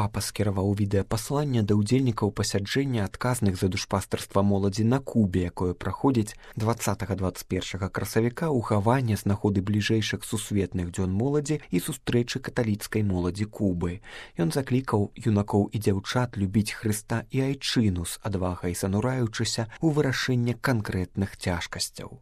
Папа скіраваў відэапасланне да ўдзельнікаў пасяджэння адказных за душпастарства моладзі на Кубе, якое праходзіць 20-21 красавіка ў Гаване з нагоды бліжэйшых сусветных дзён моладзі і сустрэчы каталіцкай моладзі Кубы. Ён заклікаў юнакоў і дзяўчат любіць Хрыста і айчыну з адвагай занураючыся ў вырашэнне канкрэтных цяжкасцяў.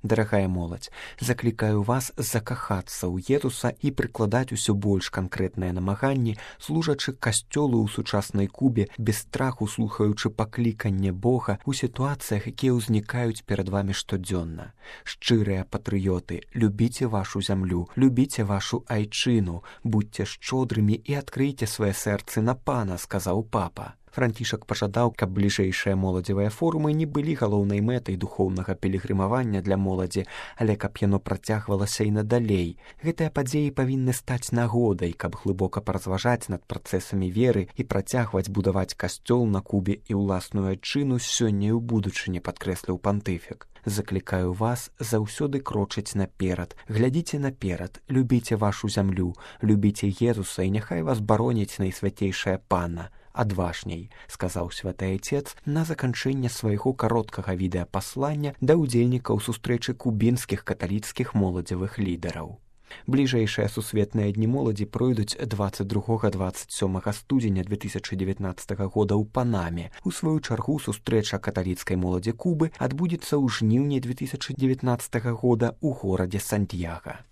Дарагая моладзь, заклікаю вас закахацца ў Езуса і прыкладаць усё больш канкрэтныя намаганні, служачы касцёлу ў сучаснай Кубе, без страху слухаючы пакліканне Бога ў сітуацыях, якія ўзнікаюць перад вамі штодзённа. Шчырыя патрыёты, любіце вашу зямлю, любіце вашу айчыну, будьце шчодрымі і адкрыйце свае сэрцы на Пана, сказаў папа. Францішак пажадаў, каб бліжэйшыя моладзевыя форумы не былі галоўнай мэтай духоўнага пілігрымавання для моладзі, але каб яно працягвалася і надалей. Гэтыя падзеі павінны стаць нагодай, каб глыбока паразважаць над працэсамі веры і працягваць будаваць касцёл на Кубе і ўласную айчыну сёння і ў будучыні, падкрэсліў пантыфік. Заклікаю вас заўсёды крочыць наперад, глядзіце наперад, любіце вашу зямлю, любіце Езуса і няхай вас бароніць найсвяцейшае Пана. Адважней, сказаў святы айцец на заканчэнне свайго кароткага відэапаслання да ўдзельнікаў сустрэчы кубінскіх каталіцкіх моладзевых лідараў. Бліжэйшыя сусветныя дні моладзі пройдуць 22-27 студзеня 2019 года ў Панаме. У сваю чаргу сустрэча каталіцкай моладзі Кубы адбудзецца ў жніўні 2019 года ў горадзе Сантьяга.